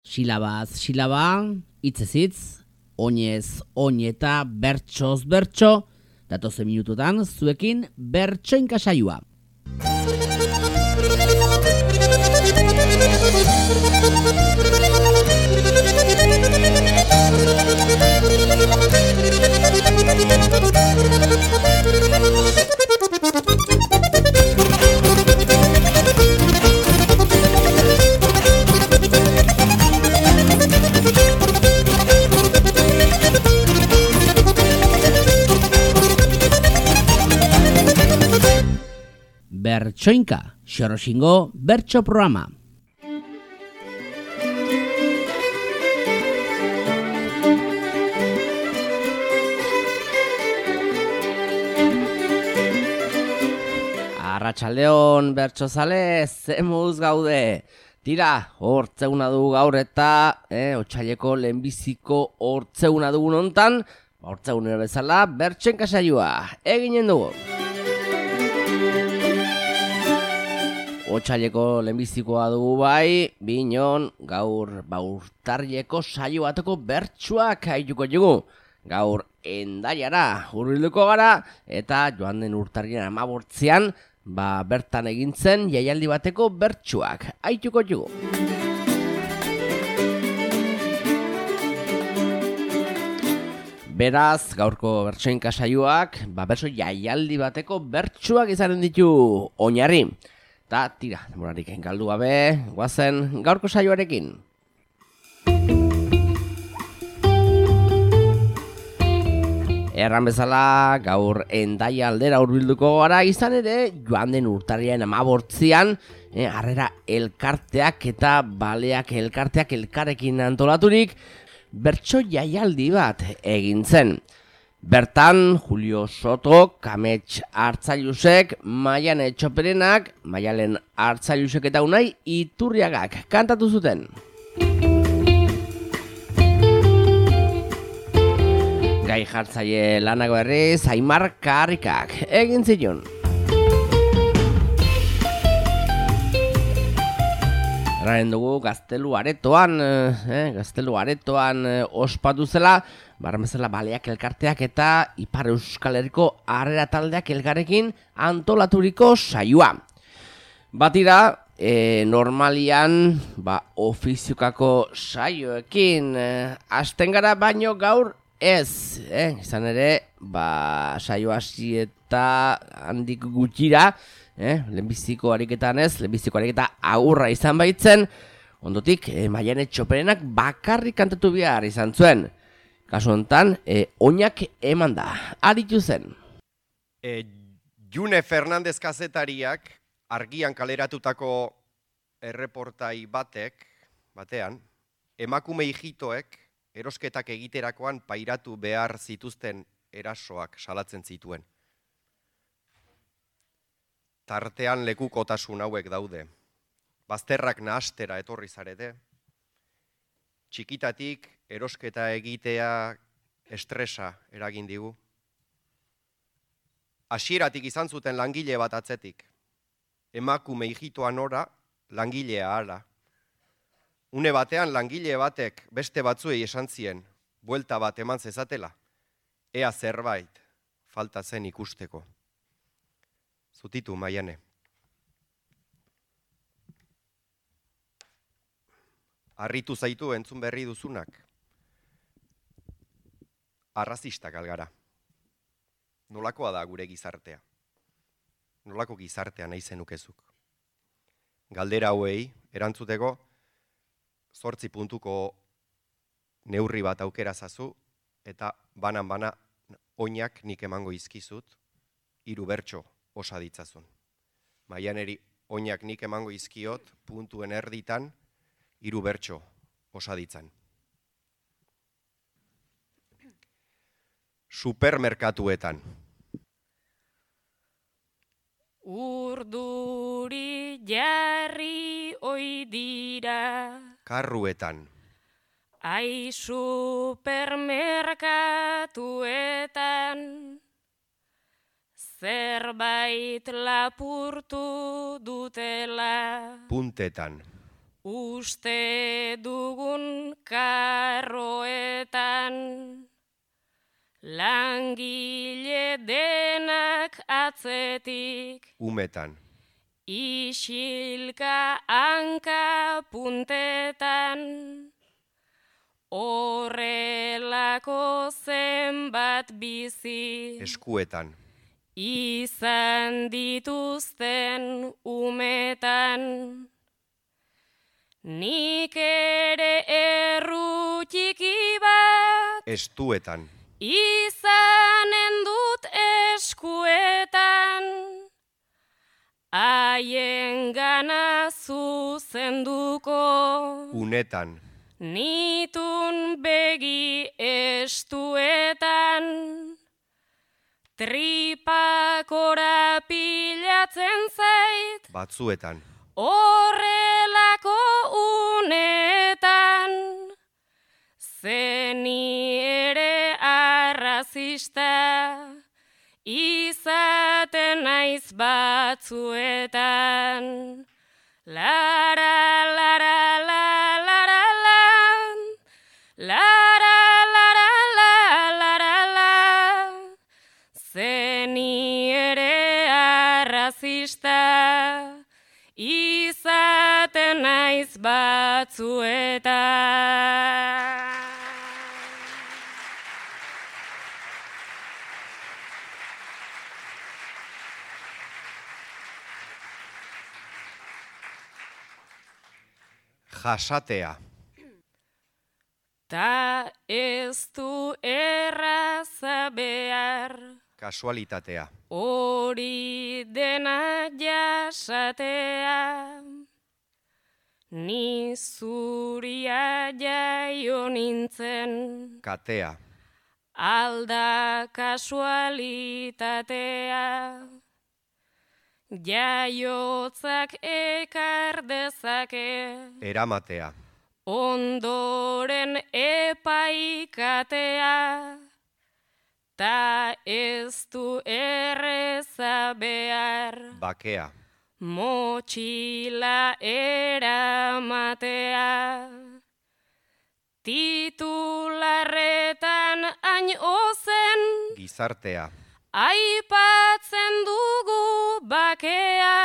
Silabaz silaba, hitzez hitz, oinez oin eta bertsoz bertso, datozen minututan zuekin bertsoinka saioa. Bertsoinka, Xoroxingo bertso programa. Arratsaldeon bertsozale, zemuz gaude. Tira, hortzeuna dugu gaur eta otsaileko lehenbiziko hortzeuna dugun hontan, hortzeunera bezala bertsoinka saioa eginen dugu. Otsaileko lehenbizikoa dugu bai, binon gaur urtarrileko saio bateko bertsuak haituko dugu. Gaur Hendaiara hurbilduko gara eta joan den urtarrilean 15ean bertan egin zen jaialdi bateko bertsuak haituko dugu. Beraz, gaurko bertsoinka saioak bertso jaialdi bateko bertsuak izanen ditu oinarri. Ta tira, demorarik galdu gabe, goazen gaurko saioarekin. Erran bezala, gaur Hendaia aldera hurbilduko gara, izan ere, joan den urtarrilean 15ean, harrera elkarteak eta baleak elkarteak elkarrekin antolaturik, bertso jaialdi bat egin zen. Bertan, Julio Soto, Kamets Artzailusek, Maian Etxoperenak, Maialen Artzailusek eta Unai Iturriagak kantatu zuten. Gai jartzaile lanak berriz, Aimar Karrikak egin zion. Erraren dugu Gaztelu Aretoan ospatu zela, bezala baleak elkarteak eta Ipar Euskal Herriko harrera taldeak elkarrekin antolaturiko saioa. Batira, normalian ofiziokako saioekin hasten gara, baino gaur ez. Izan ere, saio hasi eta handik gutxira, lehenbiziko ariketan ez, lehenbiziko ariketa agurra izan baitzen, ondotik Maian Etxoperenak bakarrik kantatu behar izan zuen. Kasu honetan, oinak eman da, aritu zen. June Fernandez kazetariak argian kaleratutako erreportai batean, emakume hijitoek erosketak egiterakoan pairatu behar zituzten erasoak salatzen zituen. Tartean lekukotasun hauek daude. Bazterrak nahastera etorri zarete. Txikitatik erosketa egitea estresa eragin digu. Hasieratik izan zuten langile bat atzetik. Emakume hijitoa nora, langilea hala. Une batean langile batek beste batzuei esan zien, buelta bat eman zezatela, ea zerbait falta zen ikusteko. Zutitu, Maiane. Harritu zaitu entzun berri duzunak. Arrazistak algara. Nolakoa da gure gizartea? Nolako gizartea nahi zenukezuk? Galdera hauei erantzuteko 8 puntuko neurri bat aukera zazu eta banan oinak nik emango izkizut 3 bertso osa ditzazun. Maianeri oinak nik emango izkiot puntuen erditan 3 bertso osa ditzan. Supermerkatuetan. Urduri jarri oi dira. Karruetan. Ai supermerkatuetan. Zerbait lapurtu dutela. Puntetan. uste dugun karroetan, langile denak atzetik, umetan, isilka hanka puntetan, horrelako zenbat bizi, eskuetan, izan dituzten umetan. Nik ere erru txiki bat, estuetan, izanen dut eskuetan, haien gana zuzenduko, unetan, nitun begi estuetan, tripakora pilatzen zait, batzuetan, horrelako unetan, zeni ere arrazista, izaten naiz batzuetan. Lara, lara, la, lara, lan, lara, lara, la, lara, la, zeni ere arrazista, izaten naiz batzuetan. jasatea, Ta ez du erraza behar, kasualitatea, hori dena jasatea, ni zuria jaio nintzen, katea, alda kasualitatea, jaiotzak ekar dezake, eramatea, ondoren epaikatea, ta ez du erreza behar, bakea, motxila eramatea, titularretan hain ozen, gizartea, aipatzen dugu bakea,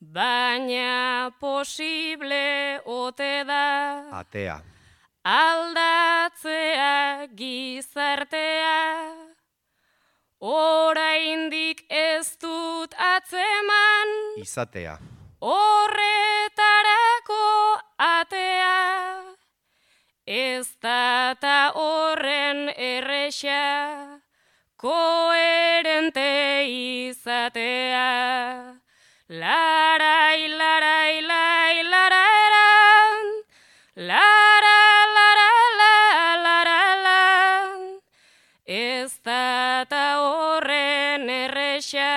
baina posible ote da, atea, aldatzea gizartea, oraindik ez dut atzeman, izatea, horretarako atea, ez da ta horren erresa, koherente izatea. Larai, larai, lai, lararan, lara, lara, la, lara, la, ez da ta horren erresa,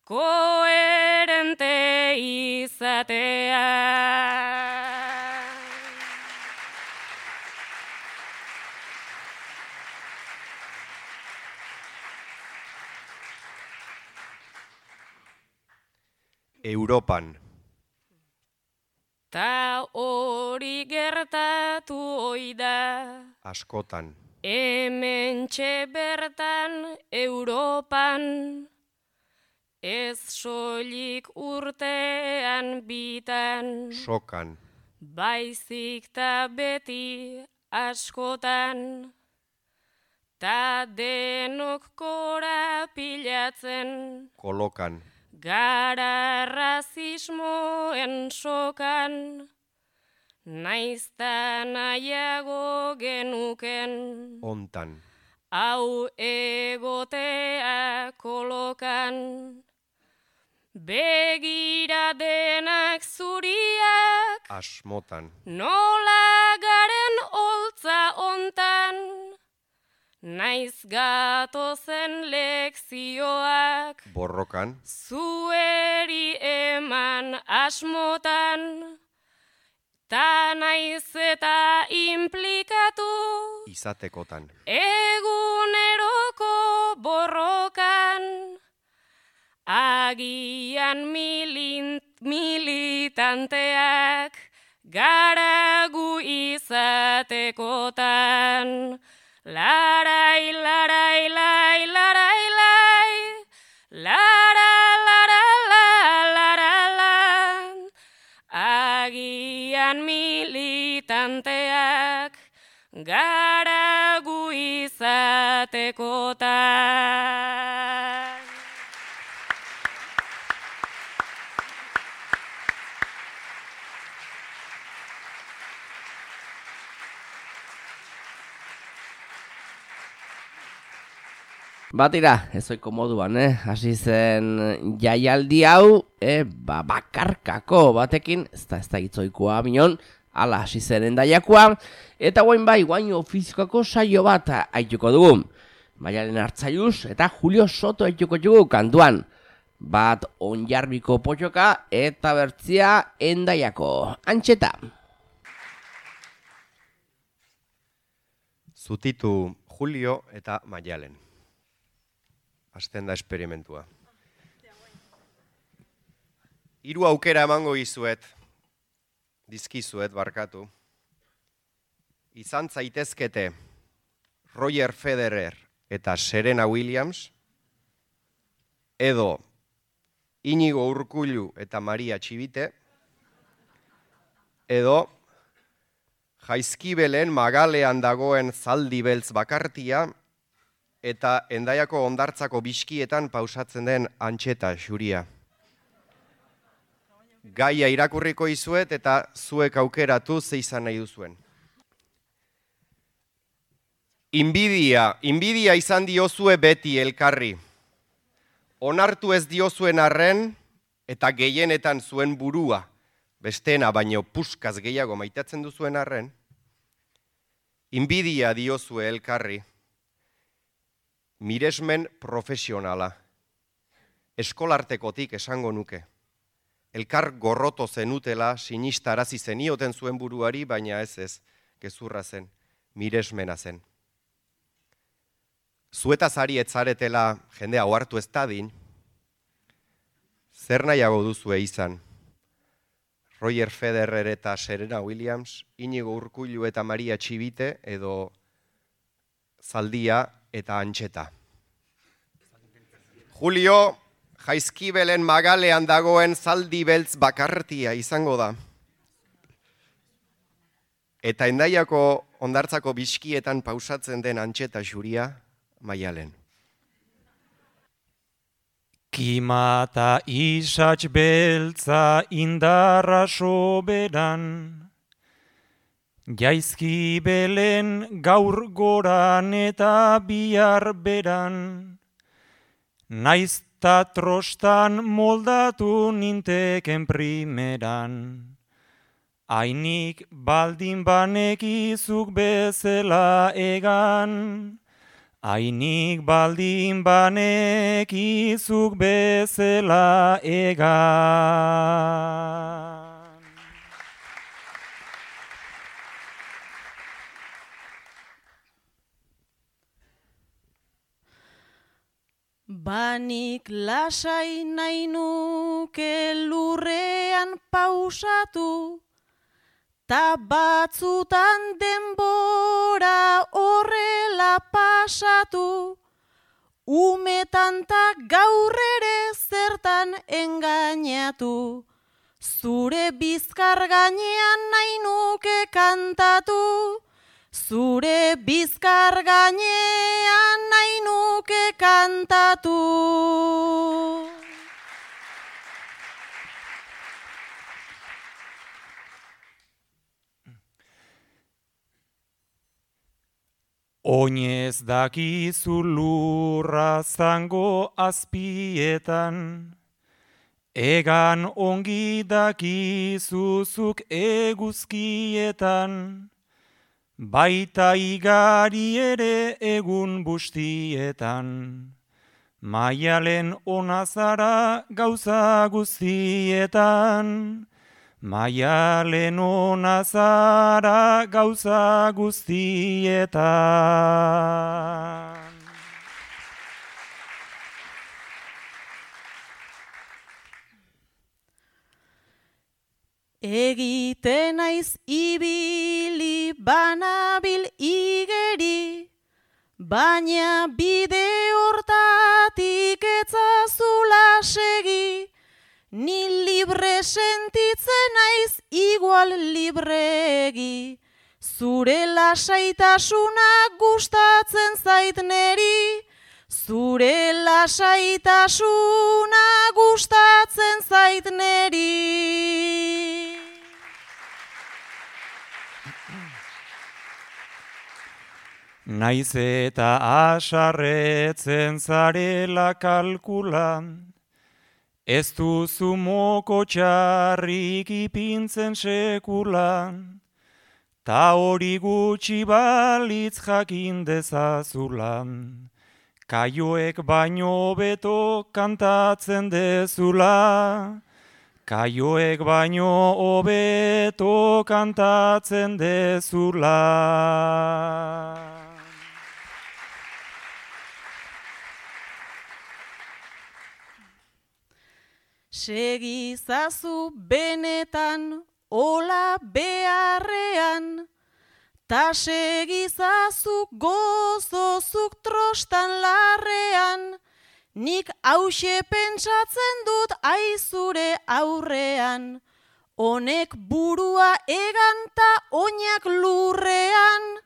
koherente izatea. Europan, Ta hori gertatu oida, askotan, hementxe bertan Europan, ez soilik urtean bitan, sokan, baizik ta beti askotan, ta denok korapilatzen, kolokan, gara razismoen sokan, naizta nahiago genuken, ontan, hau egotea kolokan. Begira denak zuriak, asmotan, nola garen holtza ontan, naiz gatozen lekzioak, borrokan, zueri eman asmotan, ta naiz eta implikatu, izatekotan, eguneroko borrokan, agian militanteak gara gu izatekotan. Larai, larai, lai, larai, lai, lara, lara, la, lara, la. Agian militanteak gara gu izatekotan. Batira, ezoiko moduan, hasi zen jaialdi hau, bakarkako batekin, ez da itzoikoa minon, ala hasi zen Hendaiakoa, eta guain ofizikako saio bat aituko dugu. Maialen Artzaiuz eta Julio Soto aituko dugu kantuan. Bat Onjarbiko potxoka eta bertzia Hendaiako. Antxeta. Zutitu Julio eta Maialen. Hasten da esperimentua. 3 aukera emango dizkizuet barkatu. Izan zaitezkete Roger Federer eta Serena Williams, edo Inigo Urkullu eta Maria Txibite, edo Jaizkibelen magalean dagoen zaldi beltz bakartia, eta Hendaiako hondartzako biskietan pausatzen den Antxeta xuria. Gaia irakurriko izuet eta zuek aukeratu ze izan nahi duzuen. Inbidia izan diozue beti elkarri. Onartu ez diozuen arren eta gehienetan zuen burua, besteena baino puskaz gehiago maitatzen duzuen arren, inbidia diozue elkarri. Miresmen profesionala. Eskolartekotik esango nuke. Elkar gorroto zenutela sinistarazi zenioten zuen buruari, baina ez, gezurra zen, miresmena zen. Zuetaz ari etzaretela jendea ohartu ez dadin, zer nahiago duzue izan? Roger Federer eta Serena Williams, Inigo Urkullu eta Maria Txibite, edo Zaldia eta Antxeta. Julio, Jaizkibelen magalean dagoen zaldi beltz bakartia izango da. Eta Hendaiako hondartzako biskietan pausatzen den Antxeta xuria, Maialen. Kimata isatx beltza indarra soberan, Jaizkibelen gaur goran eta bihar beran, naizta trostan moldatu ninteken primeran. Ainik baldin banekizuk bezala egan, ainik baldin banekizuk bezala egan. Banik lasai nahi nuke lurrean pausatu, ta batzutan denbora horrela pasatu, umetan ta gaur ere zertan engainatu, zure bizkar gainean nahi nuke kantatu, zure bizkar gainean nahi nuke kantatu. Oinez dakizu lurra zango azpietan, egan ongi dakizuzuk eguzkietan, baita igari ere egun bustietan, Maialen ona zara gauza guztietan, Maialen ona zara gauza guztietan. Egiten naiz ibili banabil igeri, baina bide hortatik etzazula segi, ni libre sentitzen naiz igual libregi, zure lasaitasuna gustatzen zait neri, zure lasaitasuna gustatzen zait neri. Naiz eta asarretzen zarela kalkulan, ez duzu moko txarrik ipintzen sekulan, ta hori gutxi balitz jakin dezazulan, kaioek baino beto kantatzen dezula, kaioek baino hobeto kantatzen dezula. Segizazu benetan ola beharrean, ta segizazu gozozuk trostan larrean, nik hauxe pentsatzen dut aizure aurrean, honek burua egan ta oinak lurrean,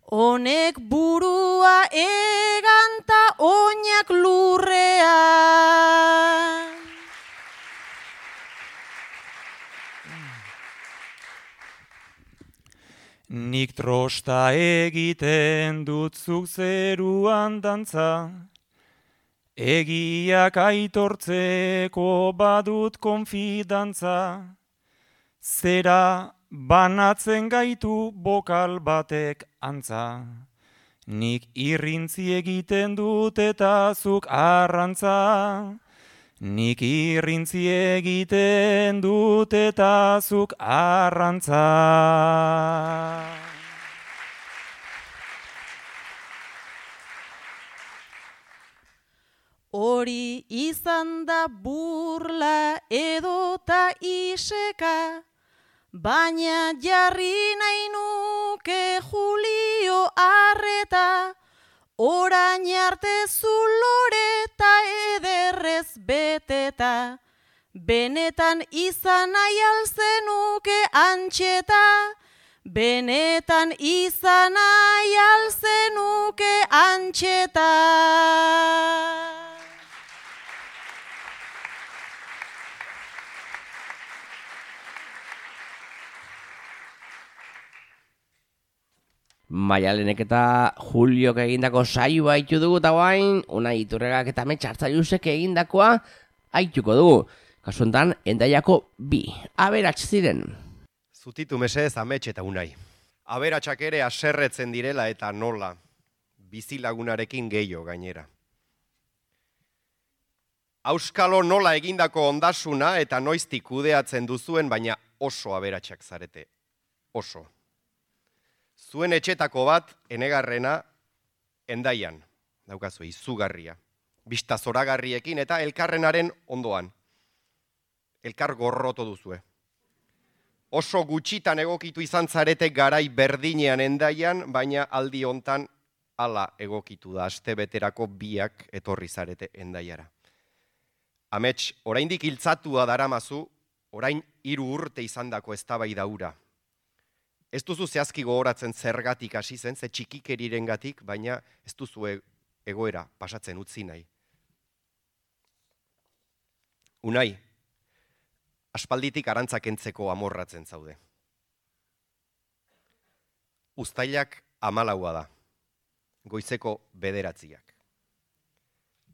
honek burua egan ta oinak lurrean. Nik trosta egiten dut zuk zeruan dantza, egiak aitortzeko badut konfidantza, zera banatzen gaitu bokal batek antza, nik irrintzi egiten dut eta zuk arrantza, nik irrintzi egiten dut eta zuk arrantza. Hori izan da burla edota iseka, baina jarri nahi nuke Julio arreta, orain arte zuloreta ederrez beteta, benetan izan nahi alzenuke antxeta, benetan izan nahi alzenuke antxeta. Maialenek eta Juliok egindako saioa haitu dugu eta guain, Unai Iturregak eta Amets Hartzailusek egindakoa haituko dugu. Kasu honetan, Hendaiako 2 aberats ziren. Zutitu mesedez Amets eta Unai. Aberatsak ere haserretzen direla eta nola, bizilagunarekin gehiago gainera. Auskalo nola egindako ondasuna eta noiztik kudeatzen duzuen, baina oso aberatsak zarete. Oso. Zuen etxetako bat, enegarrena, Hendaian, daukazu, izugarria. Bista zoragarriekin eta elkarrenaren ondoan. Elkar gorroto duzue. Oso gutxitan egokitu izan zarete garai berdinean Hendaian, baina aldi hontan hala egokitu da, astebeterako biak etorri zarete Hendaiara. Amets, oraindik hiltzatua daramazu, orain 3 urte izandako eztabaida hura. Ez duzu zehazki gogoratzen zergatik hasi zen, ze txikikerirengatik, baina ez duzu egoera pasatzen utzi nahi. Unai, aspalditik arantzak entzeko amorratzen zaude. Uztailak 14 da, goizeko 9.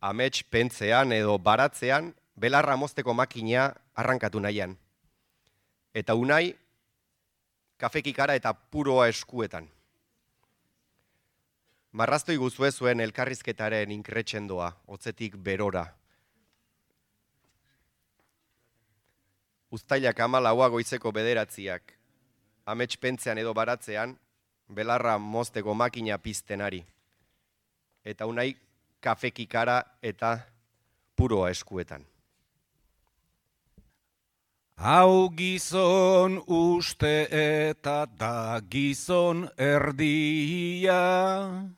Amets pentzean edo baratzean, belarra mozteko makina arrankatu nahian. Eta Unai, kafekikara eta puroa eskuetan. Marraztoi guzue zuen elkarrizketaren inkretxendoa, hotzetik berora. Uztailak 14 goizeko 9, Amets pentzean edo baratzean, belarra mozteko makina piztenari. Eta Unai, kafekikara eta puroa eskuetan. Hau gizon uste eta da gizon erdia,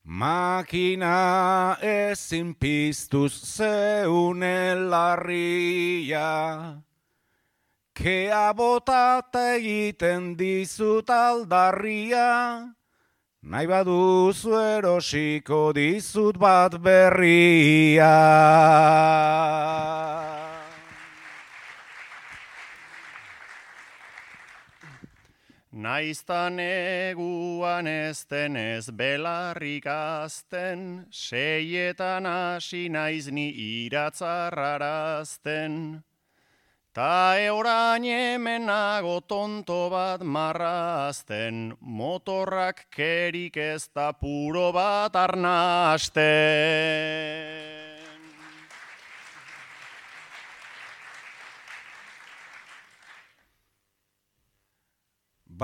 makina ezin piztuz zeune larria, kea botata egiten dizut aldarria, nahi baduzu erosiko dizut bat berria. Naiztan eguan ez denez belarrik azten, seietan hasi naiz ni iratzarrarazten. Ta orain hemen nago tonto bat marrazten, motorrak kerik ez da puro bat arnasten.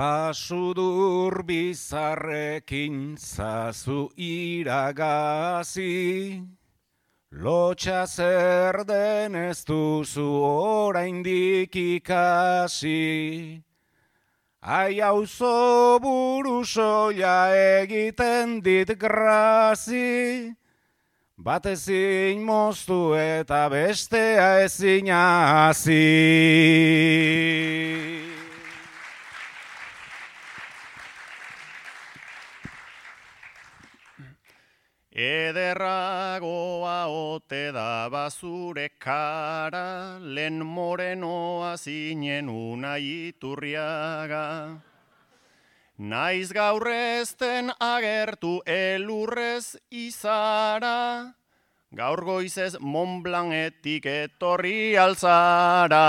Basudur bizarrekin zazu iragazi, lotxa zer den ez duzu oraindik ikasi. Ai auzo buru soila egiten dit grazi, bat ezin moztu eta bestea ezin hasi. Ederragoa ote da bazure kara, lehen morenoa zinen Unai Iturriaga. Naiz gaur ezten agertu elurrez izara, gaur goizez Mont Blancetik etorri alzara.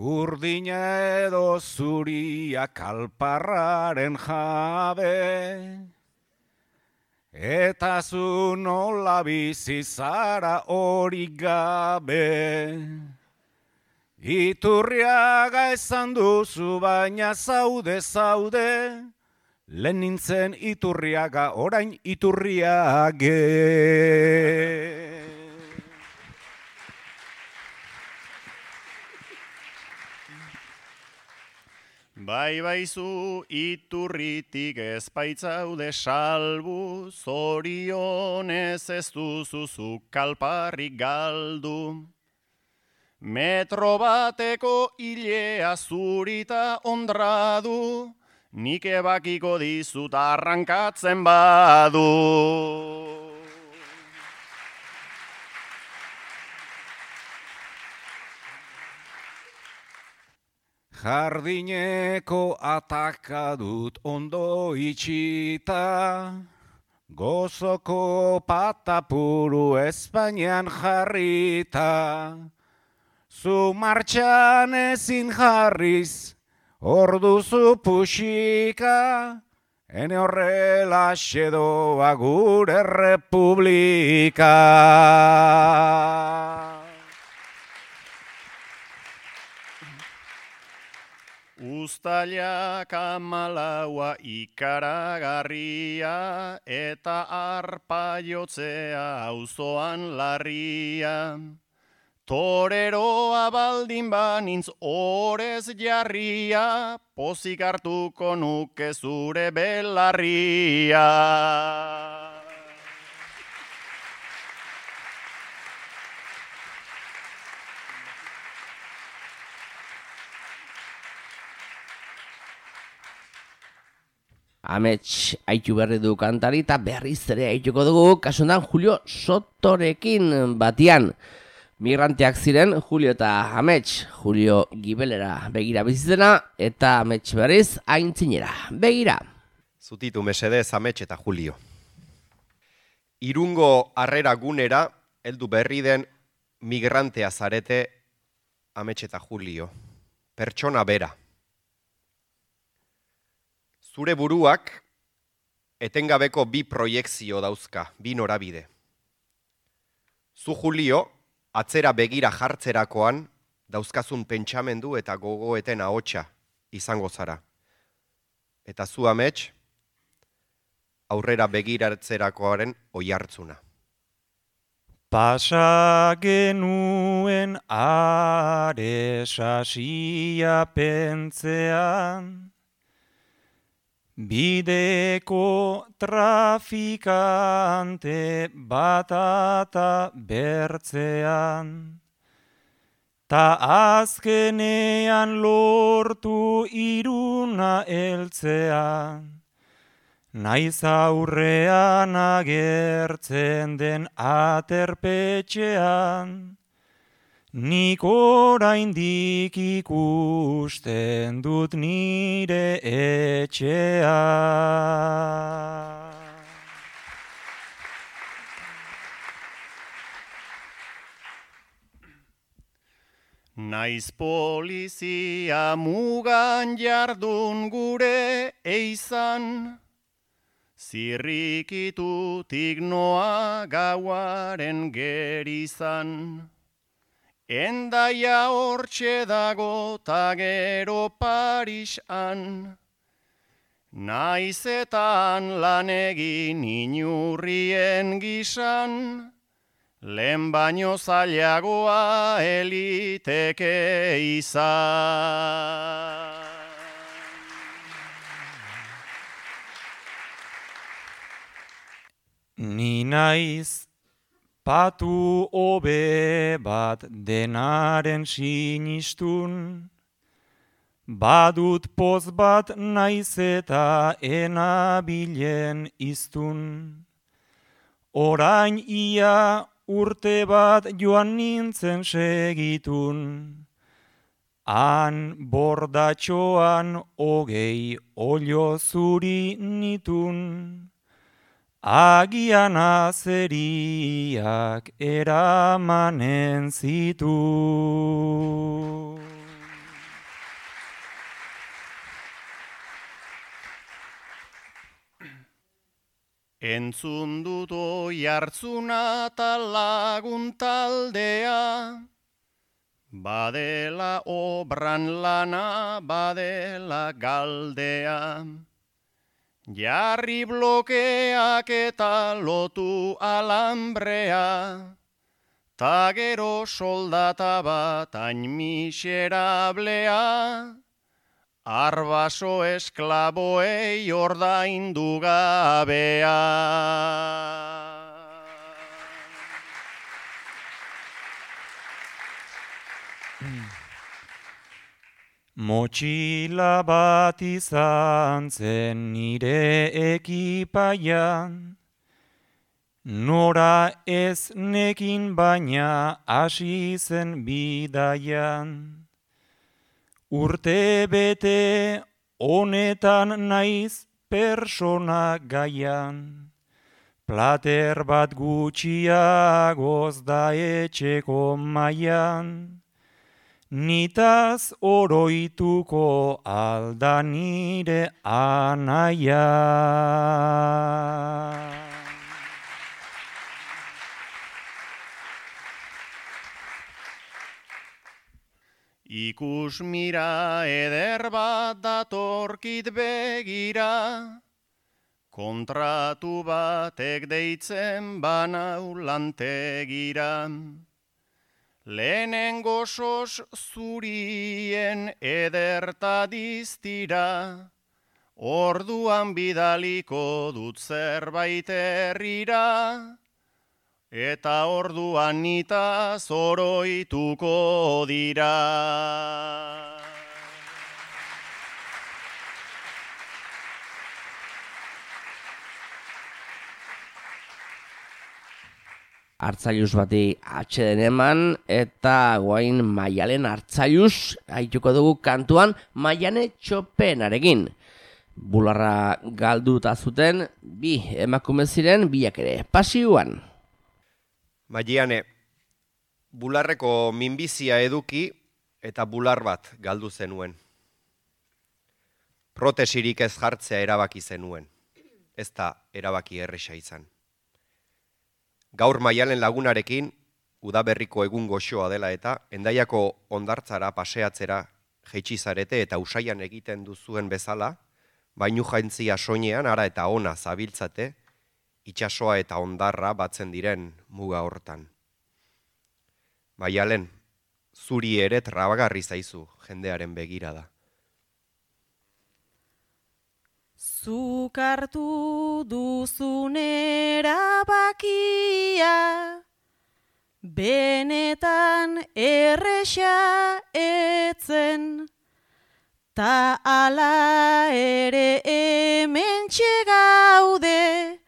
Urdina edo zuria kalparraren jabe, eta zu nola bizi zara hori gabe. Iturriaga esan duzu baina zaude, lehen nintzen Iturriaga orain Iturriage. Bai baizu Iturritik ez baitzaude salbu, zorionez ez duzuzu kalparrik galdu. Metro bateko hilea zurita ondradu, nik ebakiko dizut arrankatzen badu. Jardineko ataka dut ondo itxita, gozoko patapuru Espainian jarrita. Zu martxan ezin jarriz, orduzu puxika, ene horrela xedoa gure republika. Uztailak 14 ikaragarria, eta arpa jotzea auzoan larria. Toreroa baldin banintz orez jarria, pozik hartuko nuke zure belarria. Amets aitu berri du kantari eta berriz ere aituko dugu kasundan Julio Sotorekin batian. Migranteak ziren Julio eta Amets, Julio gibelera begira bizitzena eta Amets berriz aintzinera begira. Zutitu mesedez Amets eta Julio. Irungo harrera gunera heldu berri den migrantea zarete Amets eta Julio. Pertsona bera. Zure buruak etengabeko bi proiekzio dauzka, bi norabide. Zu Julio, atzera begira jartzerakoan, dauzkazun pentsamendu eta gogoeten ahotsa izango zara. Eta zu Amets, aurrera begiratzerakoaren oihartzuna. Pasa genuen are sasia pentzean, bideko trafikante batata bertzean, ta azkenean lortu Iruna heltzean, naiz aurrean agertzen den aterpetxean, nik oraindik ikusten dut nire etxea. Naiz polizia mugan jardun gure eizan, zirrikitutik noa gauaren gerizan. Endaia hortxe dago ta gero Parisan, naizetan lan egin inurrien gisan, lehen baino zailagoa eliteke izan. Ni naiz patu hobe bat denaren sinistun, badut poz bat naiz eta enabilen iztun. Orain ia urte bat joan nintzen segitun, han bordatxoan 20 olio zuri nitun. Agian azeriak eramanen zitu. Entzun dut oihartzuna ta lagun taldea, badela obran lana, badela galdea. Jarri blokeak eta lotu alambrea, ta gero soldata bat hain miserablea, arbaso esklaboei ordaindu gabea. Motxila bat izan zen nire ekipaian, nora ez nekin baina hasi zen bidaian. Urte bete honetan naiz persona gaian, plater bat gutxiagoz da etxeko maian. Nitaz oroituko alda nire anaia. Ikus mira eder bat datorkit begira, kontratu batek deitzen banau lantegira. Lehenengo sos zurien ederta diztira, orduan bidaliko dut zerbait herrira, eta orduan nitaz oroituko dira. Hartzailuz bati atxeden eman, eta guain Maialen Hartzailuz haituko dugu kantuan Maiane Txopenarekin. Bularra galduta zuten, bi emakume ziren, biak ere pasioan. Maiane, bularreko minbizia eduki eta bular bat galdu zenuen. Protesirik ez jartzea erabaki zenuen, ez da erabaki erresa izan. Gaur Maialen lagunarekin, udaberriko egun goxoa dela eta, Hendaiako hondartzara paseatzera jaitsi zarete eta Usaian egiten duzuen bezala, bainu jaintzia soinean ara eta ona zabiltzate, itsasoa eta hondarra batzen diren muga hortan. Maialen, zuri ere trabagarri zaizu jendearen begirada. Zuk hartu duzun erabakia, benetan erresa etzen, ta ala ere hementxe gaude,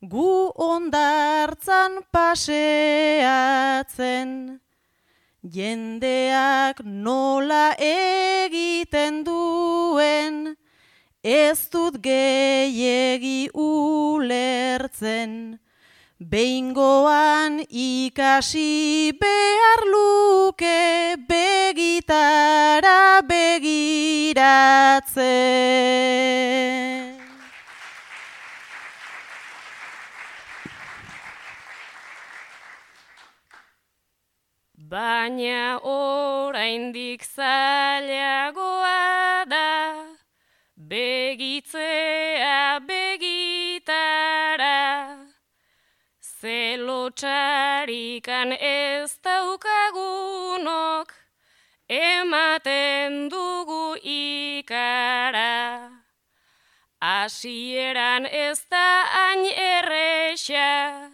gu hondartzan paseatzen. Jendeak nola egiten duen, ez dut gehiegi ulertzen. Behingoan ikasi behar luke begitara begiratzen. Baina oraindik zailagoa da, begitzea begitara. Zelotxarikan ez daukagunok, ematen dugu ikara. Hasieran ez da hain erresa,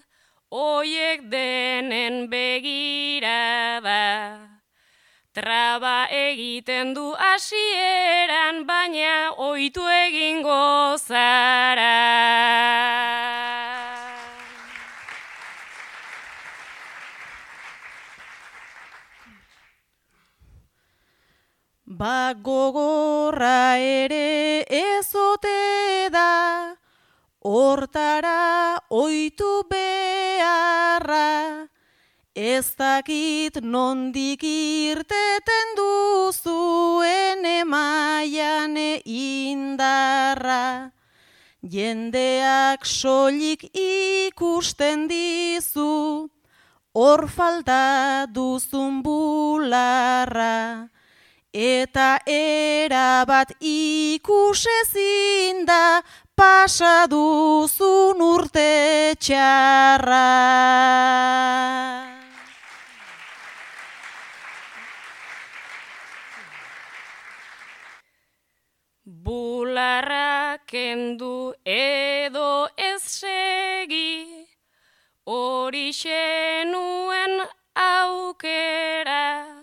oiek denen begirada. Traba egiten du hasieran, baina ohitu egingo zara. Ba gogorra ere ez ote da, hortara ohitu beharra. Ez dakit nondik irteten duzuen emaian indarra. Jendeak soilik ikusten dizu, hor falta duzun bularra. Eta erabat ikusezin da, pasa duzun urte txarra. Bularra kendu edo ez segi, horixe nuen aukera.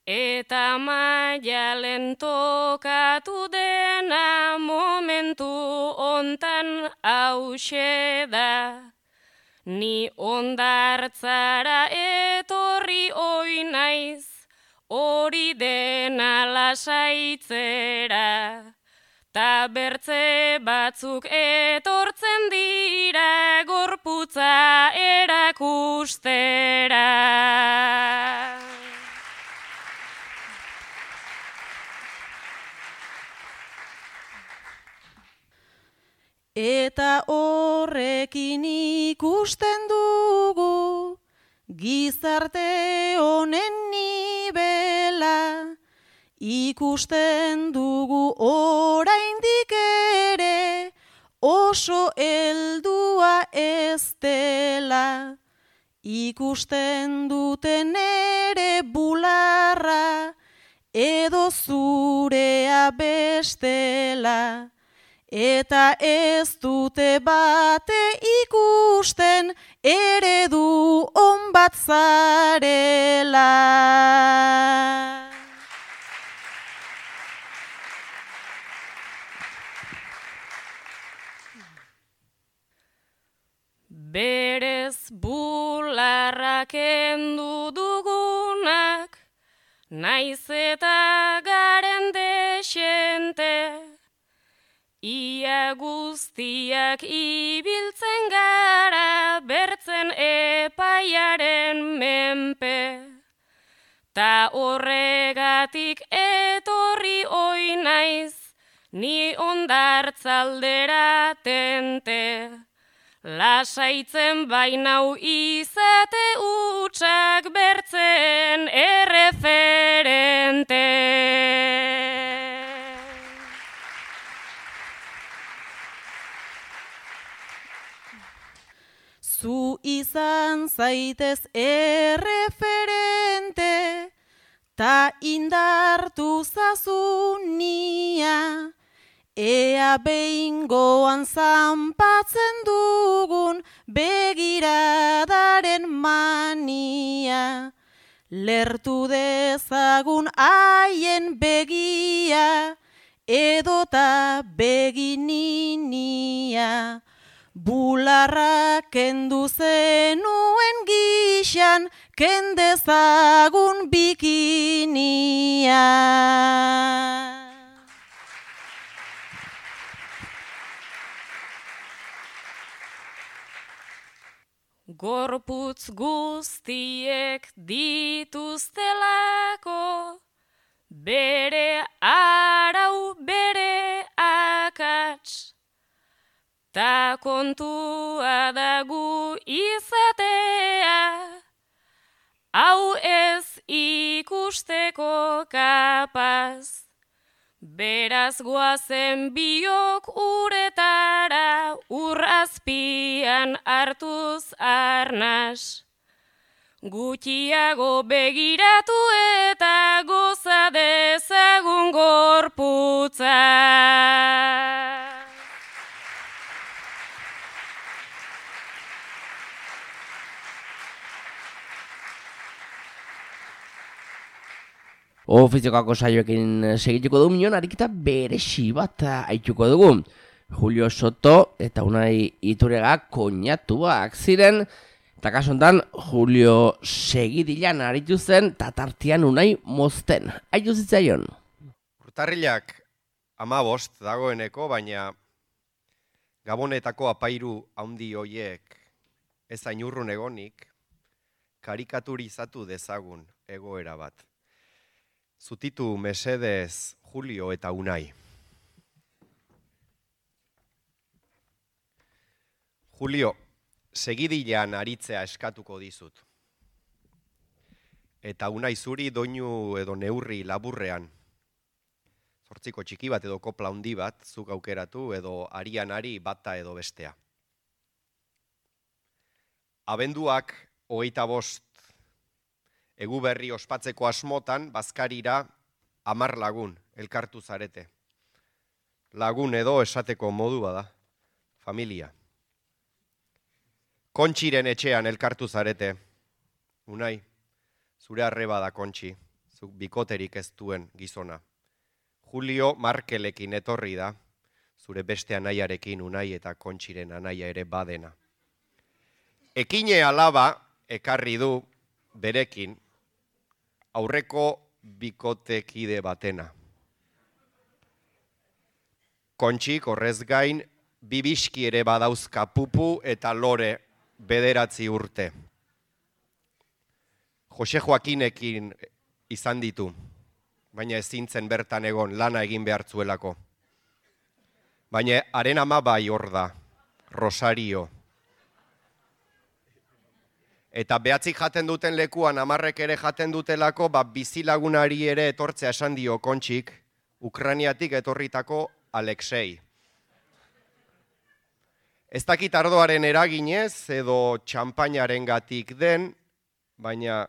Eta Maialen tokatu dena momentu hontan hauxe da. Ni hondartzara etorri oi naiz, hori dena lasaitzera. Ta bertze batzuk etortzen dira gorputza erakustera. Eta horrekin ikusten dugu, gizarte honen nibela, ikusten dugu oraindik ere, oso heldua ez dela. Ikusten duten ere bularra, edo zurea bestela. Eta ez dute bate ikusten, eredu on bat zarela. Berez bularra kendu dugunak, naiz eta garen desente. Ia guztiak ibiltzen gara, bertzen epaiaren menpe. Ta horregatik etorri oi naiz, ni hondartzaldera tente. Lasaitzen bainau izate utxak bertzen erreferente. izan zaitez erreferente, ta indartu zazunia, ea behingoan zanpatzen dugun begiradaren mania. Lertu dezagun haien begia, edota begininia. Bularra kendu zenuen gixan, kendezagun bikinia. Gorputz guztiek dituztelako, bere arau, bere akats. Ta kontua dagu izatea, hau ez ikusteko kapaz. Beraz goazen biok uretara, ur azpian hartuz arnas. Gutxiago begiratu eta goza dezagun gorputza. Ofiziokako saioekin segituko dugu minon, ariketa beresi bat haituko dugu. Julio Soto eta Unai Iturriaga koinatuak ziren, eta kasu honetan Julio segidilan aritu zen, tatartian Unai mozten. Haitu zitzaion. Urtarrilak 15 dagoeneko, baina Gabonetako apairu handi hoiek ez ainurrun egonik, karikaturizatu dezagun egoera bat. Zutitu mesedez Julio eta Unai. Julio, segidilan aritzea eskatuko dizut. Eta Unai zuri doinu edo neurri laburrean. Zortziko txiki bat edo kopla handi bat, zuk aukeratu edo arian ari bata edo bestea. Abenduak 25 egu berri ospatzeko asmotan, bazkarira 10 lagun elkartu zarete. Lagun edo esateko modua da, familia. Kontxiren etxean elkartu zarete. Unai, zure arreba da Kontxi, zuk bikoterik ez duen gizona. Julio Markelekin etorri da, zure beste anaiarekin Unai eta Kontxiren anaia ere badena. Ekine alaba ekarri du berekin, aurreko bikotekide batena. Kontxik horrez gain, bibiski ere badauzka Pupu eta Lore 9 urte. Jose Joakinekin izan ditu, baina ezintzen bertan egon lana egin behartzuelako. Baina haren ama bai hor da, Rosario. Eta behatzik jaten duten lekuan, 10 ere jaten dutelako, bizilagunari ere etortzea esan dio Kontxik, Ukraniatik etorritako Alexei. Ez dakit ardoaren eraginez edo txampainaren gatik den, baina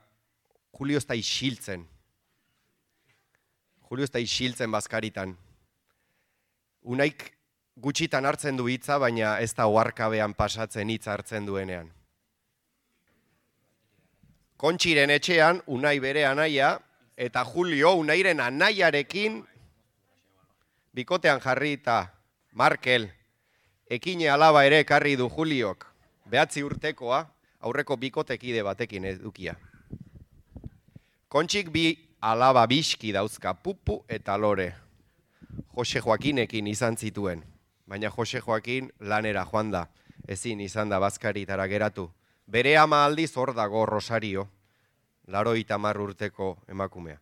Julio ez da isiltzen. Julio ez da isiltzen bazkaritan. Unaik gutxitan hartzen du hitza, baina ez da oharkabean pasatzen hitza hartzen duenean. Kontxiren etxean, Unai bere anaia, eta Julio Unairen anaiarekin bikotean jarri eta Markel, ekine alaba ere ekarri du Juliok, 9 urtekoa, aurreko bikotekide batekin edukia. Kontxik bi alaba biski dauzka, Pupu eta Lore. Jose Joakinekin izan zituen, baina Jose Joakin lanera joan da, ezin izan da bazkaritara geratu. Bere ama aldiz hor dago Rosario, 80 urteko emakumea.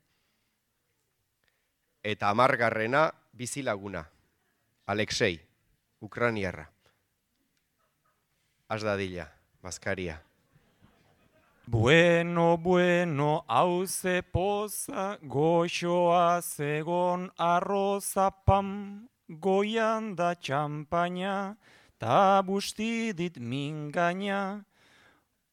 Eta 10. bizilaguna, Alexei, Ukraniarra. Az dadila, bazkaria. Bueno, bueno, hauze poza, goxoa zegon arroza pam, goian da txampaina, ta busti dit mingaina,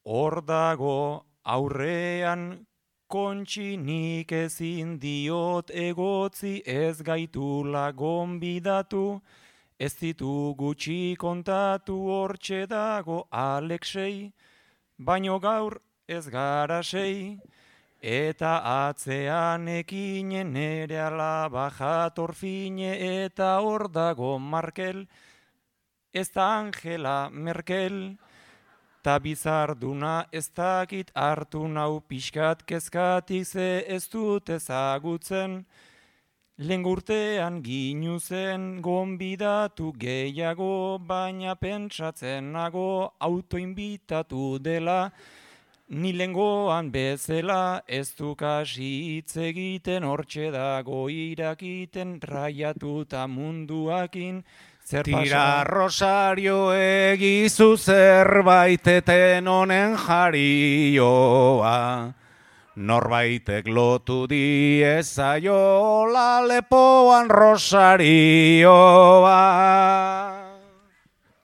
hor dago aurrean kontxi nik ezin diot egotzi ez gaitula gonbidatu, ez ditu gutxi kontatu hortxe dago Alexei, baino gaur ez gara sei, eta atzean ekinen nere alaba jator fine eta hor dago Markel, ez da Angela Merkel, ta bizarduna ez dakit hartu nau pixkat kezkatik ze ez dut ezagutzen, lehen urtean ginu zen gonbidatu gehiago, baina pentsatzen nago autoinbitatu dela, ni lengoan bezala ez du kasi hitz egiten hortxe dago irakiten raiatuta munduakin. Tira Rosario egizu zerbaiteten honen jarioa, norbaitek lotu diezaiola lepoan Rosarioa.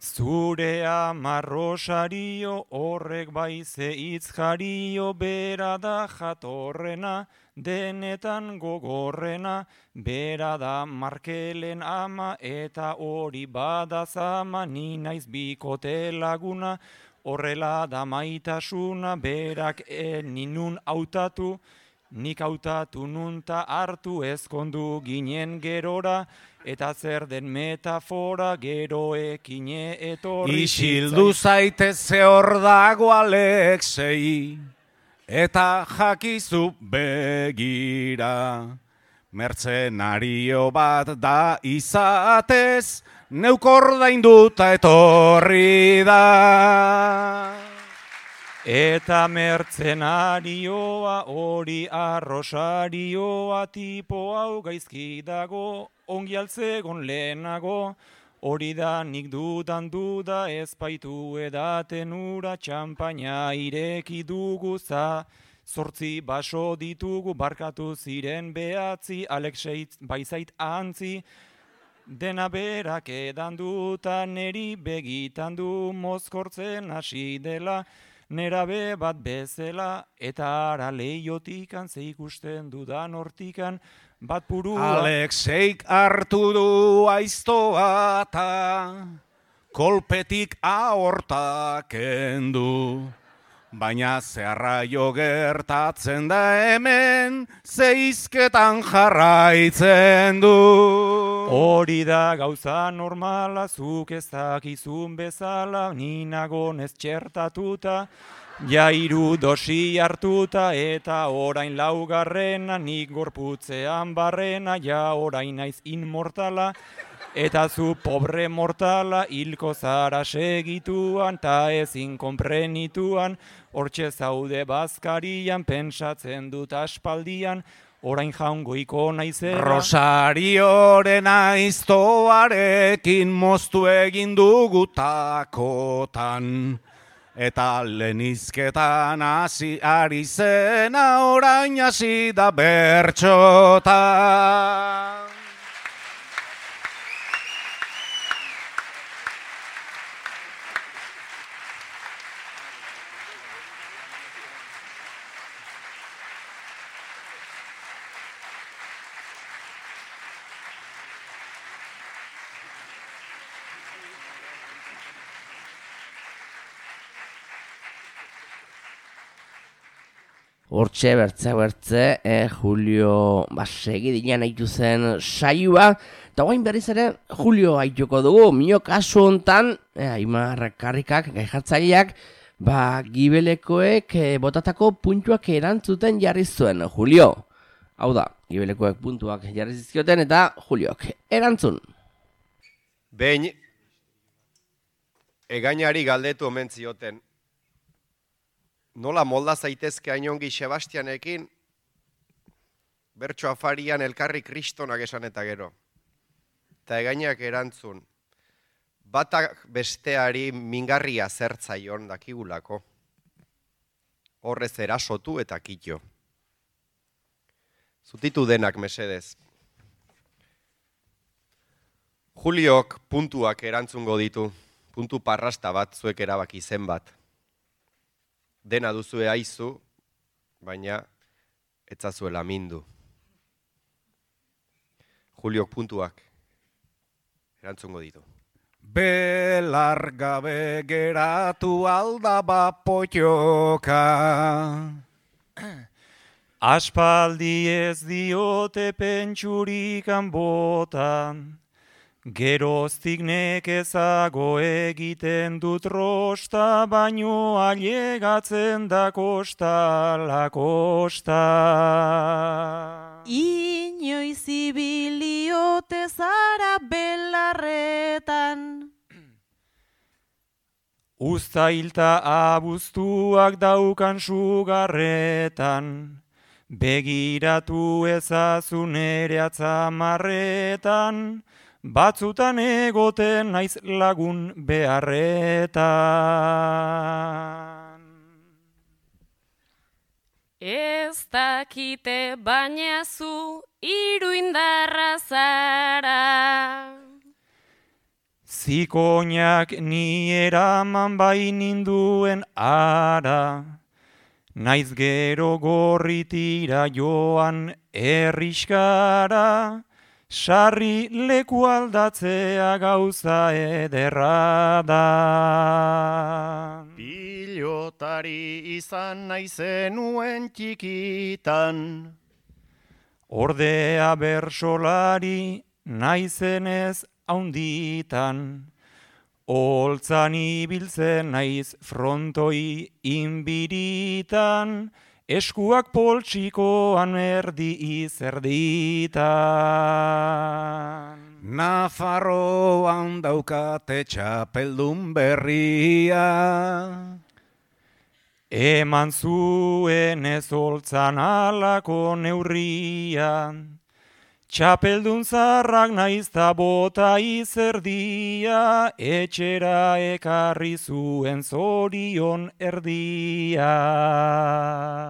Zure ama Rosario horrek baize hitz jario, bera da jatorrena, denetan gogorrena, bera da Markelen ama eta hori bada zama, ni naiz bikote laguna, horrela da maitasuna, berak ninun hautatu, nik hautatu nunta hartu ezkondu ginen gerora, eta zer den metafora gero ekine etorri. Isildu zaitez ze hor dago Alexei, eta jakizu begira, mertzenario bat da izatez, neuk ordainduta etorri da. Eta mertzenarioa hori Rosarioa, tipo hau gaizki dago, ongi altzegon lehenago, hori da nik dudan duda, ez baitu edaten ura, txampaina ireki dugu za, 8 baso ditugu, barkatu ziren 9, Alexei baizait antzi, dena berak edan duta, neri begitan du mozkortzen hasi dela, nerabe bat bezala, eta ara leiotikan ze ikusten dudan hortikan, bat purua. Alexeik hartu du aiztoa eta kolpetik aorta kendu, baina zeharraio gertatzen da hemen, zeizketan jarraitzen du. Hori da gauza normala, zuk ez dakizun bezala, ninagon ez txertatuta, ja 3 dosi hartuta, eta orain 4. nik gorputzean barrena, ja orain naiz inmortala, eta zu pobre mortala, hilko zara segituan, ta ezin konprenituan, hortxe zaude bazkarian, pentsatzen dut aspaldian, orain jaungoiko naizera. Rosarioren aiztoarekin moztu egin dugu takotan, eta lehenizketan hasi ari zena orain hasi da bertxotan. Hortxe bertze, Julio segidinan haitu zen saioa, eta guain berriz ere Julio haituko dugu, mio kasu hontan, Aimar Karrikak, gai jartzaileak, gibelekoek botatako puntuak erantzuten jarri zuen, Julio. Hau da, gibelekoek puntuak jarri zizkioten eta Juliok erantzun. Behin, egainari galdetu omen zioten, nola molda zaitezke hainongi Sebastianekin, bertso afarian elkarri kristonak esan eta gero. Eta egainak erantzun, batak besteari mingarria zertzaion dakigulako. Horrez erasotu eta kitxo. Zutitu denak mesedez. Juliok puntuak erantzungo ditu, puntu parrasta bat zuek erabaki zenbat. dena duzue aizu, baina etzazuela mindu. Juliok puntuak erantzungo ditu. Belar gabe geratu aldaba potioka. Aspaldi ez diote pentsurikan botan, geroztik nekezago egiten dut rosta, baino ailegatzen da kosta la kosta. Inoiz ibiliote zara belarretan. Uztailta abuztuak daukan sugarretan, begiratu ezazu nere atzamarretan, batzutan egoten naiz lagun beharretan. Ez dakite baina zu iruindarra zara. Zikoinak ni eraman baininduen ara, naiz gero gorritira joan erriskara, sarri leku aldatzea gauza ederra da. Pilotari izan naizenuen txikitan, Ordea bersolari naizenez haunditan, holtzan ibiltzen naiz frontoi inbiritan, eskuak poltsikoan erdi izerditan. Nafarroan daukate txapeldun berria. Eman zuen ez holtzan alako neurria, txapeldun zarrak naizta bota izerdia, etxera ekarri zuen zorion erdia.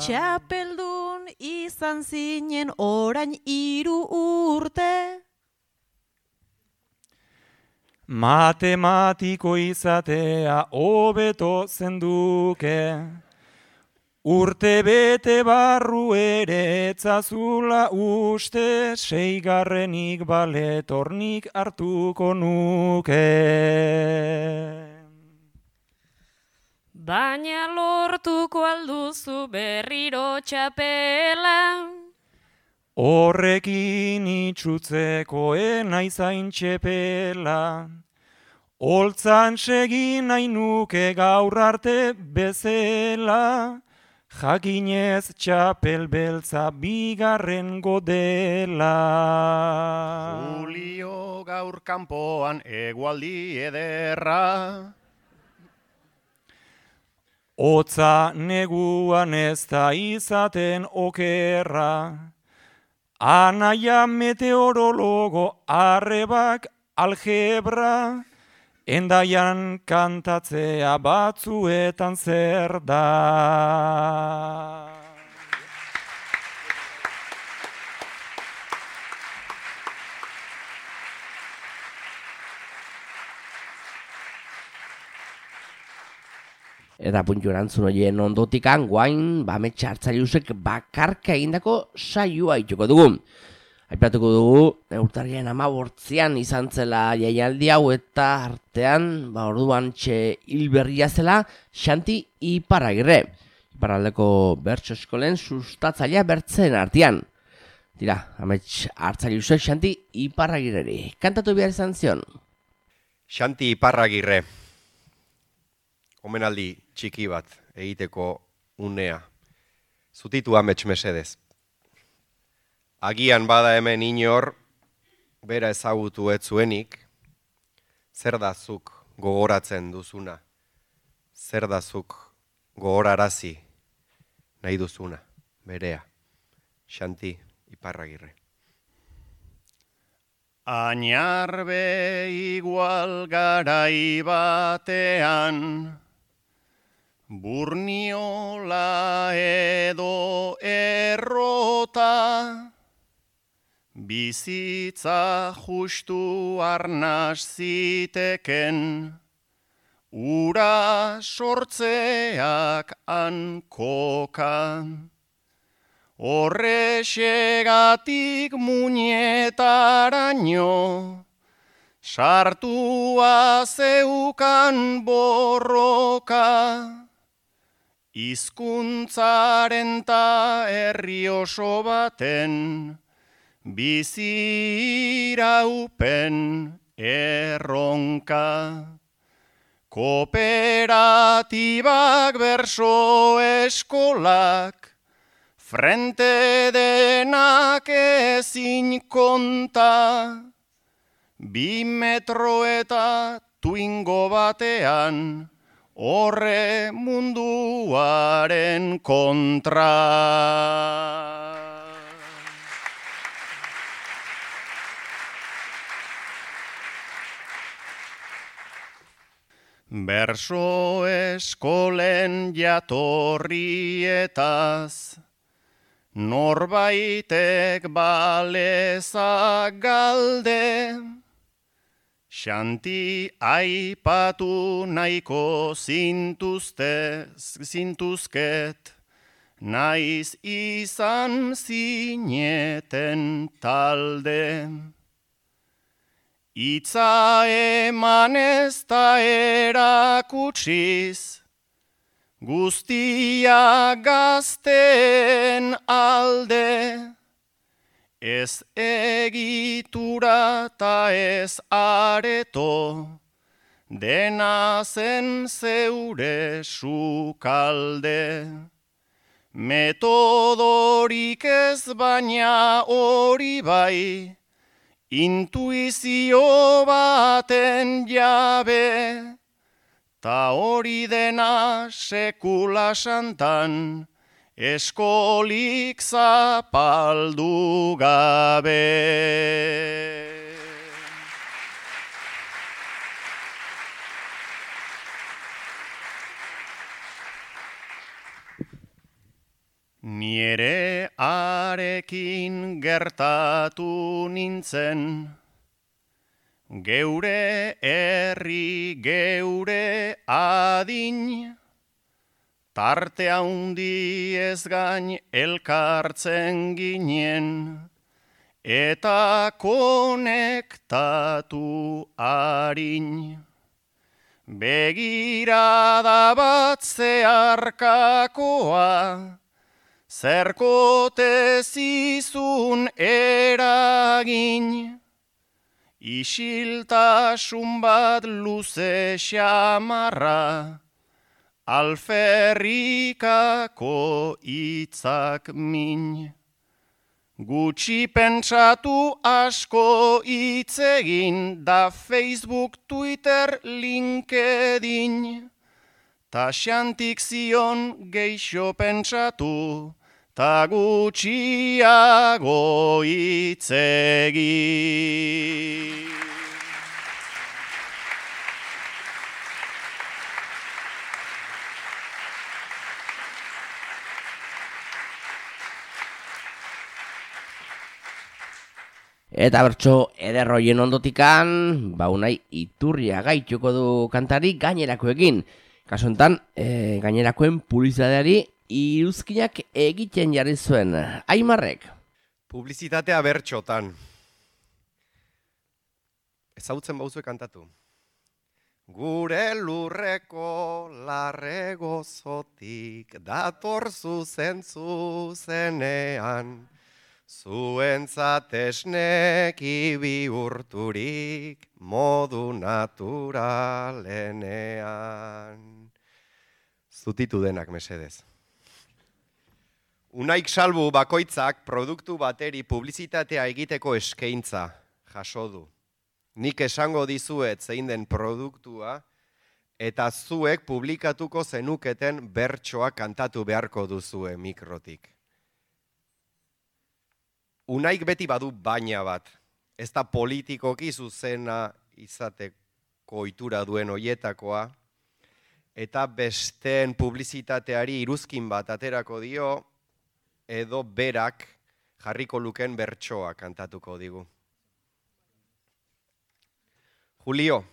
Txapeldun izan zinen orain 3 urte. Matematiko izatea hobeto zenduke, urte bete barru ere etzazula uste, 6. baletornik hartuko nuke. Baina lortuko alduzu berriro txapela. Horrekin itxutzeko enaizain txepela, holtzan segin nahi nuke gaur arte bezela, jakinez txapel beltza 2. dela. Julio gaur kanpoan egualdi ederra. Hotza neguan ez da izaten okerra, anaia meteorologo arrebak algebra, endaian kantatzea batzuetan zer da. Eta puntu erantzun horien ondotikan, guain, Ametsa Hartzailusek bakarka egindako saioa ituko dugu. Aipatuko dugu, urtarriaren 18an izan zela jaialdi hau eta artean, orduan hilberria zela Xanti Iparragirre. Iparraldeko bertso eskolen sustatzailea bertzen artean. Tira, Ametsa Hartzailusek Xanti Iparragirreri. Kantatu behar izan zion. Xanti Iparragirre. Omenaldi txiki bat egiteko unea. Zutitu Amets mesedez. Agian bada hemen inor, bera ezagutu ez zuenik, zer da zuk gogoratzen duzuna, zer da zuk gogorarazi nahi duzuna, berea, Xanti Iparragirre. Añarbe igual garai batean, Burniola edo errota, bizitza justu arnas ziteken, ura sortzeak hankoka. Horrexegatik muñetaraino, sartua zeukan borroka. Hizkuntzaren ta herri oso baten, biziraupen erronka. Kooperatibak berso eskolak, frente denak ezin konta. 2 metro eta tuingo batean, horre munduaren kontra. Berso eskolen jatorrietaz, norbaitek balezak galde, Xanti aipatu nahiko zintuzket, naiz izan zineten talde. Itza emanez ta erakutsiz, guztia gazten alde. Ez egitura ta ez areto, dena zen zeure sukalde. Metodorik ez baina hori bai, intuizio baten jabe, ta hori dena sekula santan, eskolik zapaldu gabe. Niere arekin gertatu nintzen, geure herri, geure adin, tarte handi ez gain elkartzen ginen, eta konektatu harin. Begirada bat zeharkakoa, zerkote zizun eragin, isiltasun bat luze xamarra, alferrikako hitzak min. Gutxi pentsatu asko hitz egin, da Facebook, Twitter, LinkedIn. Ta Xantik zion geixo pentsatu, ta gutxiago hitz egin. Eta bertso ederroien ondotikan, unai iturria gaituko du kantari gainerakoekin. Kaso enten, gainerakoen publizitateari iruzkinak egiten jarri zuen. Aimarrek. Publizitatea bertxotan. Ezagutzen bauzue kantatu. Gure lurreko larre gozotik dator zuzenean, zuentzat esneki bihurturik modu naturalenean. Zutitu denak mesedez. Unaik salbu bakoitzak produktu bateri publizitatea egiteko eskaintza jaso du. Nik esango dizuet zein den produktua eta zuek publikatuko zenuketen bertsoa kantatu beharko duzue mikrotik. Unaik beti badu baina bat, ez da politikoki zuzena izateko ohitura duen hoietakoa, eta besteen publizitateari iruzkin bat aterako dio, edo berak jarriko luken bertsoa kantatuko digu. Julio,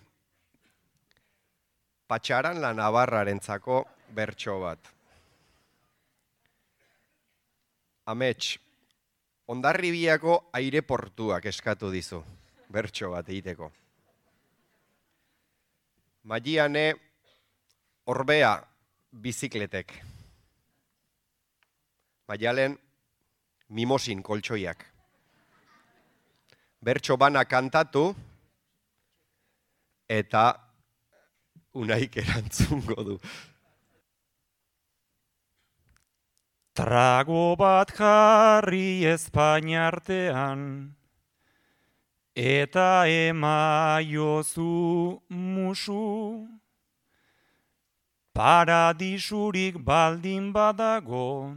Patxaran la Navarrarentzako bertso bat. Amets, Hondarribiako aireportuak eskatu dizu, bertso bat egiteko. Maiane, Orbea, bizikletek. Maialen, Mimosin koltsoiak. Bertso bana kantatu, eta Unaik erantzungo du. Trago bat jarri Espainiartean, eta emaiozu musu, paradisurik baldin badago,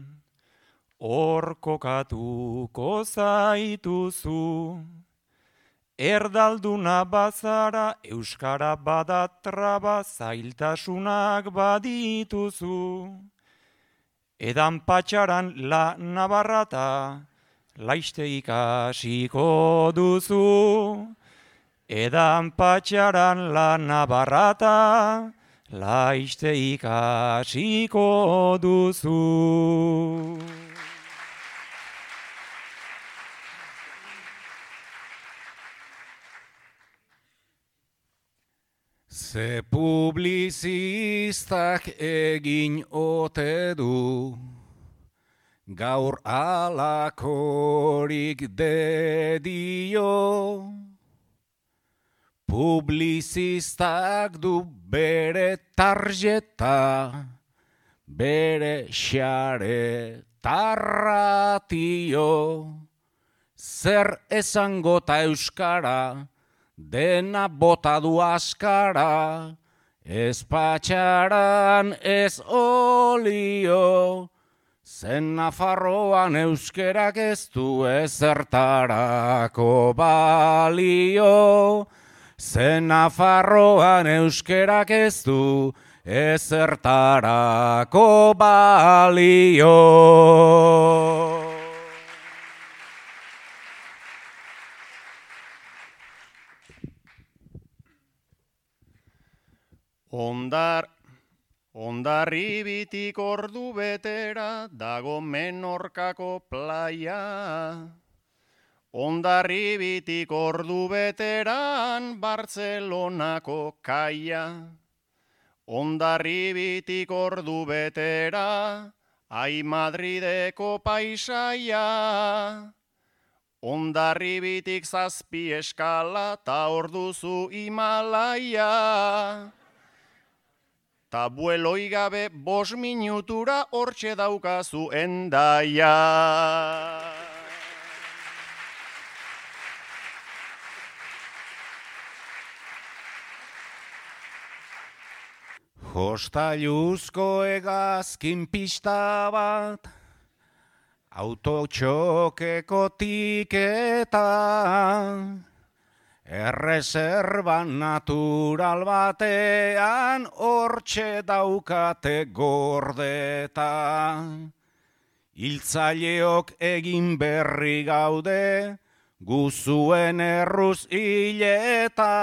hor kokatuko zaituzu. Erdalduna bazara, euskara badatraba, zailtasunak badituzu. Edan patxaran la Navarrata, laiste ikasiko duzu. Edan patxaran la Navarrata, laiste ikasiko duzu. Ze publizistak egin ote du, gaur alakorik dedio. Publizistak du bere tarjeta, bere xare tarratio. Zer esangota euskara, dena bota du askara, ez patxaran ez olio, zen Nafarroan euskerak ez du ezertarako balio, zen Nafarroan euskerak ez du ezertarako balio. Hondarribitik ordu betera dago Menorkako playa. Hondarribitik ordu beteran Bartzelonako kaia. Hondarribitik ordu betera ai Madrideko paisaia. Hondarribitik 7 eskala ta orduzu Himalaia. Ta bueloi gabe 5 minutura hortxe daukazu Hendaia. Jostailuzko hegazkin pista bat, autotxokeko tiketa, erreserba natural batean hortxe daukate gordeta. Hiltzaileok egin berri gaude, guzuen erruz hileta,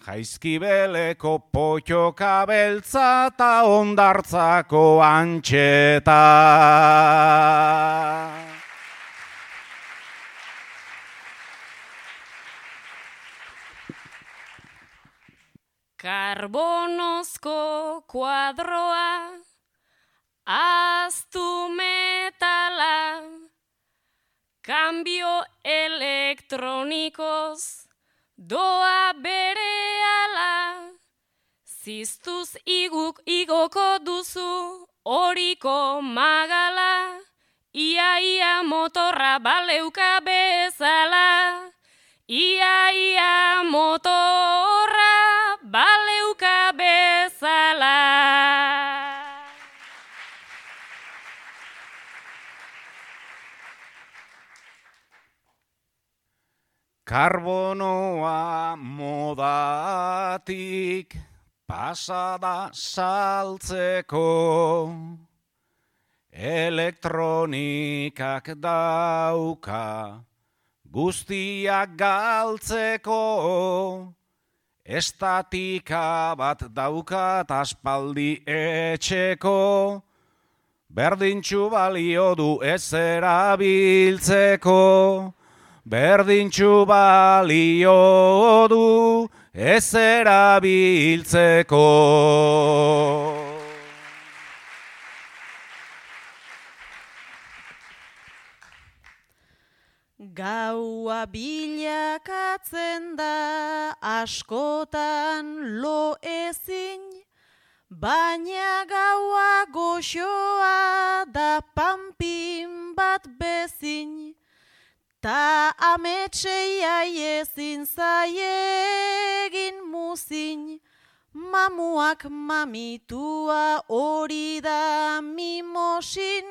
Jaizkibeleko potxoka beltza ta Hondartzako antxeta. Karbonozko kuadroa, aztu metala, kambio elektronikoz, doa berehala, ziztuz igoko duzu horiko magala, ia motorra baleuka bezala, ia motorra baleuka bezala. Karbonoa modatik pasada saltzeko, elektronikak dauka guztiak galtzeko, estatika bat daukat aspaldi etxeko, berdintxu balio du ez erabiltzeko, berdintxu balio du ez erabiltzeko. Gaua bilakatzen da askotan lo ezin, baina gaua goxoa da panpin bat bezin, ta ametsei ezin zaiegin muzin, mamuak mamitua hori da mimosin,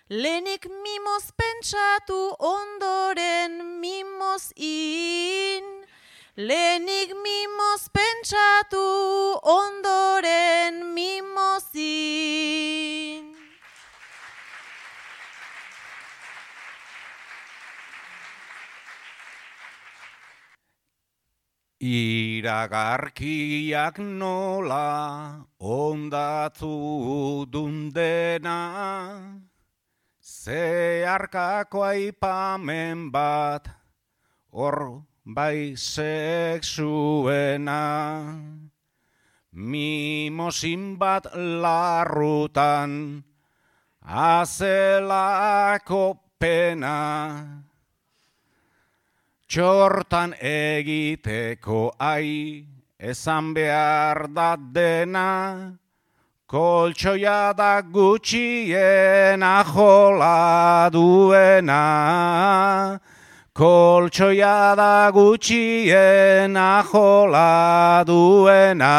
lehenik mimoz pentsatu ondoren mimoz in. Lehenik mimoz pentsatu ondoren mimoz in. Iragarkiak nola ondatu dundena, zeharkako aipamen bat hor bai sexuena. Mimosin bat larrutan azelako pena, txortan egiteko esan behar da dena, koltsoia da gutxien ajola duena, koltsoia da gutxien ajola duena.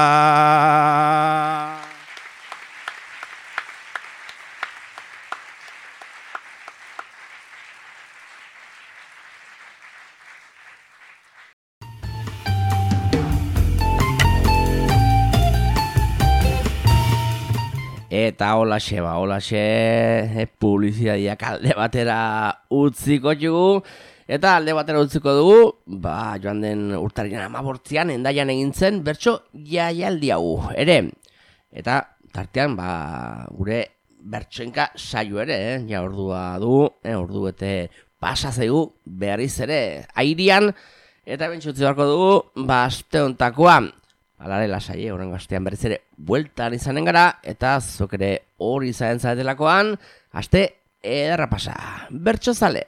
Eta holaxe, publizitateak alde batera utziko dugu. Eta alde batera utziko dugu, joan den urtarriaren 18an Hendaian egin zen bertso jaialdi hau ere. Eta tartean, gure bertsoenka saio ere, ja ordua du, ordu bete pasa zaigu berriz ere airian. Eta bentsutzi beharko dugu, aste hontakoa. Alare lasai, horrengo astean berriz ere bueltan izanen gara, eta zok ere hori izanen zaretelakoan, aste ederra pasa. Bertso zale!